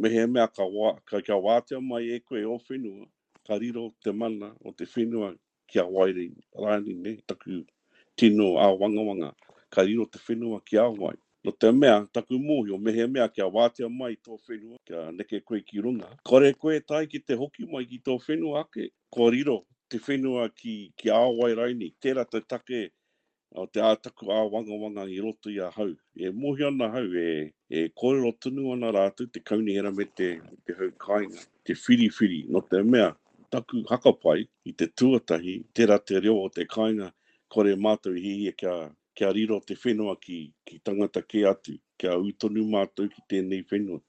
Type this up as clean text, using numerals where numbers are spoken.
Mehemea ka, wā, ka, kia wātea mai e koe ō whenua, ka riro te mana o te whenua ki a wai rānei, nē, taku tino āwangawanga, ka riro te whenua ki a wai. Nō te mea, taku mōhio, mehemea kia wātea mai tō whenua, kia neke koe ki runga, kore koe e tae ki te hoki mai ki tō whenua ake, kua riro te whenua ki, ki a wai rainei. Tērā te take o te ā taku āwangawanga i roto i ahau. E mōhio ana ahau, e, e kōrero tonu ana rātou, te kaunihera me te, me te hau kāinga, te whiriwhiri, nō te mea, taku hakapai i te tuatahi, tērā te reo o te kāinga, kore mātou i hiahia kia, kia riro te whenua ki, ki tangata kē atu, kia ū tonu mātou ki tēnei whenua.